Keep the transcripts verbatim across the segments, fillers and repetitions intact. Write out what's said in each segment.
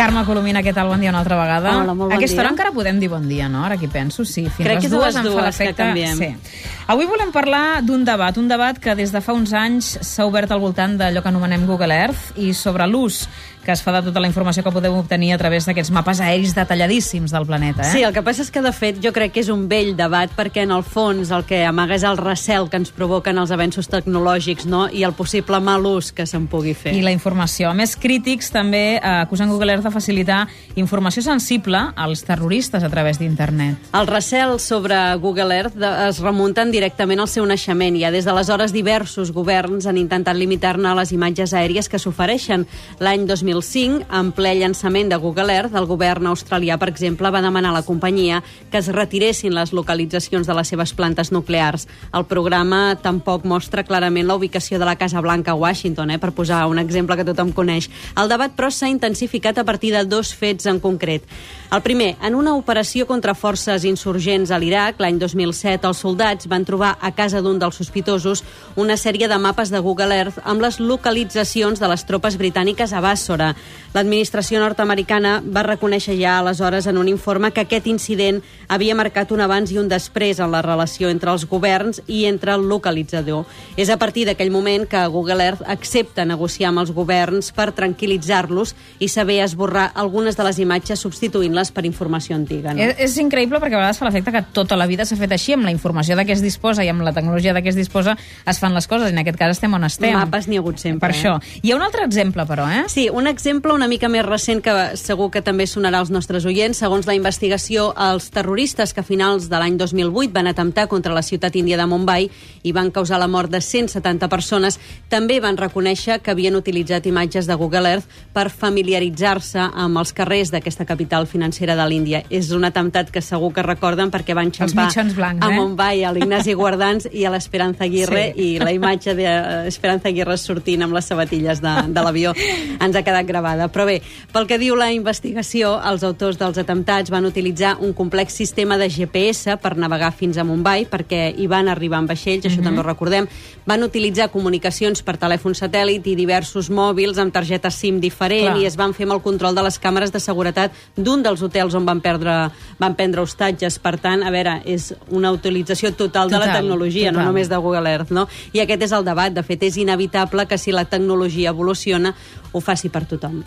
Carme Colomina, què tal? Bon dia una altra vegada. Hola, molt bon A aquesta dia. hora encara podem dir bon dia, no? Ara que hi penso, sí. Fins Crec les que és dues a les em fa dues l'efecte. que canviem. Sí. Avui volem parlar d'un debat, un debat que des de fa uns anys s'ha obert al voltant d'allò que anomenem Google Earth i sobre l'ús que es fa de tota la informació que podem obtenir a través d'aquests mapes aeris detalladíssims del planeta. Eh? Sí, el que passa és que, de fet, jo crec que és un vell debat perquè, en el fons, el que amaga és el recel que ens provoquen els avenços tecnològics, no?, i el possible mal ús que se'n pugui fer. I la informació. A més, crítics també eh, acusen Google Earth de facilitar informació sensible als terroristes a través d'internet. Els recels sobre Google Earth de, es remunten directament al seu naixement. Ja des d'aleshores diversos governs han intentat limitar-ne les imatges aèries que s'ofereixen. L'any dos mil cinc, en ple llançament de Google Earth, el govern australià, per exemple, va demanar a la companyia que es retiressin les localitzacions de les seves plantes nuclears. El programa tampoc mostra clarament la ubicació de la Casa Blanca a Washington, eh, per posar un exemple que tothom coneix. El debat, però, s'ha intensificat a partir de dos fets en concret. El primer, en una operació contra forces insurgents a l'Iraq, l'any dos mil set, els soldats van trobar a casa d'un dels sospitosos una sèrie de mapes de Google Earth amb les localitzacions de les tropes britàniques a Bàssora. L'administració nord-americana va reconèixer ja aleshores en un informe que aquest incident havia marcat un abans i un després en la relació entre els governs i entre el localitzador. És a partir d'aquell moment que Google Earth accepta negociar amb els governs per tranquil·litzar-los i saber esborrar algunes de les imatges substituint-les per informació antiga. No? És, és increïble perquè a vegades fa l'efecte que tota la vida s'ha fet així, amb la informació de què es disposa i amb la tecnologia de què es disposa es fan les coses, i en aquest cas estem on estem. Mapes n'hi ha hagut sempre. Per eh? això. Hi ha un altre exemple, però, eh? Sí, un exemple una mica més recent que segur que també sonarà als nostres oients. Segons la investigació, els terroristes que a finals de l'any dos mil vuit van atemptar contra la ciutat índia de Mumbai i van causar la mort de cent setanta persones, també van reconèixer que havien utilitzat imatges de Google Earth per familiaritzar-se amb els carrers d'aquesta capital financera de l'Índia. És un atemptat que segur que recorden perquè van xampar blancs, a eh? Mumbai, a l'Ignasi Guardans i a l'Esperanza Aguirre, sí. i la imatge d'Esperanza Aguirre sortint amb les sabatilles de, de l'avió ens ha quedat gravada. Però bé, pel que diu la investigació, els autors dels atemptats van utilitzar un complex sistema de G P S per navegar fins a Mumbai, perquè hi van arribar en vaixells, això mm-hmm. també ho recordem. Van utilitzar comunicacions per telèfon satèl·lit i diversos mòbils amb targeta SIM diferent. Clar. I es van fer amb el control de les càmeres de seguretat d'un dels hotels on van perdre, van prendre hostatges. Per tant, a veure, és una utilització total, total de la tecnologia, total. No només de Google Earth, no? I aquest és el debat. De fet, és inevitable que si la tecnologia evoluciona, ho faci per tothom.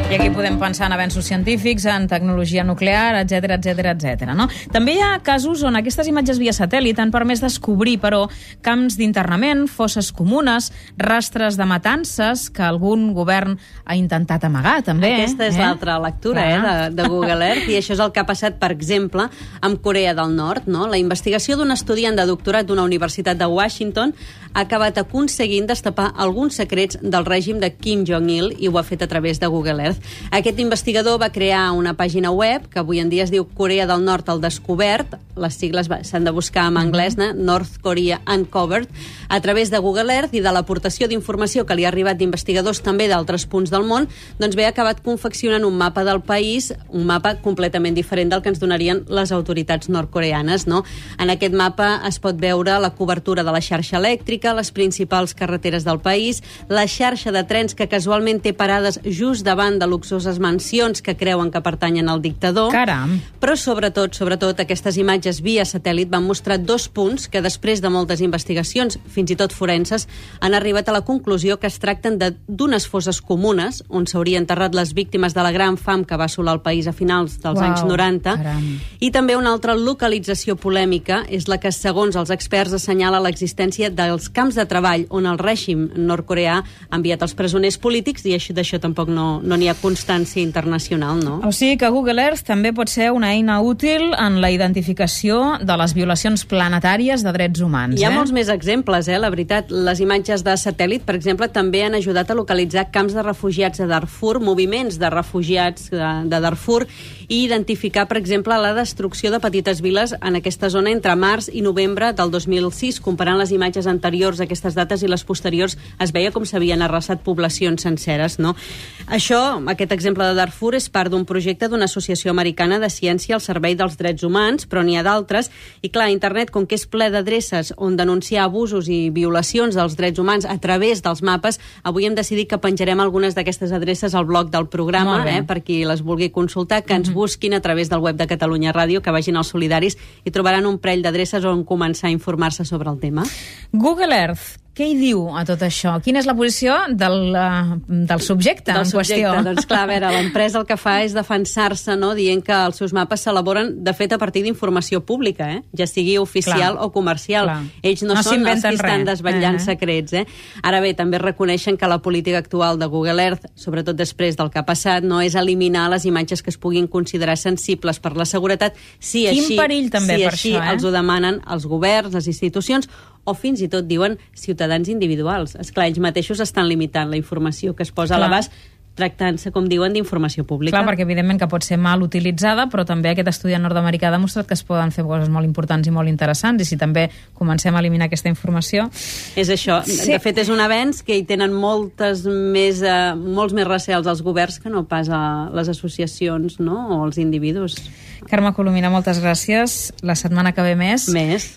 I aquí podem pensar en avenços científics, en tecnologia nuclear, etcètera, etcètera, etcètera. No? També hi ha casos on aquestes imatges via satèl·lit han permès descobrir, però, camps d'internament, fosses comunes, rastres de matances que algun govern ha intentat amagar, també. Aquesta és eh? l'altra lectura eh, de, de Google Earth, i això és el que ha passat, per exemple, amb Corea del Nord. No? La investigació d'un estudiant de doctorat d'una universitat de Washington ha acabat aconseguint destapar alguns secrets del règim de Kim Jong-il, i ho ha fet a través de Google Earth. Aquest investigador va crear una pàgina web que avui en dia es diu Corea del Nord al descobert, les sigles s'han de buscar en anglès, no? North Korea Uncovered, a través de Google Earth i de l'aportació d'informació que li ha arribat d'investigadors també d'altres punts del món, doncs bé, ha acabat confeccionant un mapa del país, un mapa completament diferent del que ens donarien les autoritats nord-coreanes. No? En aquest mapa es pot veure la cobertura de la xarxa elèctrica, les principals carreteres del país, la xarxa de trens que casualment té parades just davant de luxoses mansions que creuen que pertanyen al dictador. Caram! Però sobretot, sobretot, aquestes imatges via satèl·lit van mostrar dos punts que després de moltes investigacions, fins i tot forenses, han arribat a la conclusió que es tracten d'unes fosses comunes on s'haurien enterrat les víctimes de la gran fam que va assolar el país a finals dels Uau, anys noranta. Caram. I també una altra localització polèmica és la que, segons els experts, assenyala l'existència dels camps de treball on el règim nord-coreà ha enviat els presoners polítics, i d'això tampoc no n'hi ha constància internacional, no? O sigui que Google Earth també pot ser una eina útil en la identificació de les violacions planetàries de drets humans. Hi ha eh? molts més exemples, eh? La veritat. Les imatges de satèl·lit, per exemple, també han ajudat a localitzar camps de refugiats de Darfur, moviments de refugiats de, de Darfur, i identificar, per exemple, la destrucció de petites viles en aquesta zona entre març i novembre del dos mil sis, comparant les imatges anteriors anteriors a aquestes dates i les posteriors es veia com s'havien arrasat poblacions senceres, no? Això, aquest exemple de Darfur, és part d'un projecte d'una associació americana de ciència al servei dels drets humans, però n'hi ha d'altres, i clar, internet, com que és ple d'adreces on denunciar abusos i violacions dels drets humans a través dels mapes, avui hem decidit que penjarem algunes d'aquestes adreces al blog del programa, eh, per qui les vulgui consultar, que ens busquin a través del web de Catalunya Ràdio, que vagin als solidaris i trobaran un parell d'adreces on començar a informar-se sobre el tema. Google Earth, què hi diu a tot això? Quina és la posició del, uh, del subjecte del en subjecte. qüestió? Doncs clar, a veure, l'empresa el que fa és defensar-se, no?, dient que els seus mapes s'elaboren, de fet, a partir d'informació pública, eh? Ja sigui oficial clar, o comercial. Clar. Ells no, no són els que estan desvetllant uh -huh. secrets, eh? Ara bé, també reconeixen que la política actual de Google Earth, sobretot després del que ha passat, no és eliminar les imatges que es puguin considerar sensibles per la seguretat, si Quin així, perill també si per així això, eh? els ho demanen els governs, les institucions, o fins i tot diuen ciutadans individuals. Esclar, ells mateixos estan limitant la informació que es posa Clar. a l'abast, tractant-se, com diuen, d'informació pública. Clar, perquè evidentment que pot ser mal utilitzada, però també aquest estudi nord-americà ha demostrat que es poden fer coses molt importants i molt interessants, i si també comencem a eliminar aquesta informació... És això. Sí. De fet, és un avenç que hi tenen moltes més, eh, molts més recels els governs que no pas a les associacions, no?, o els individus. Carme Colomina, moltes gràcies. La setmana que ve més. Més.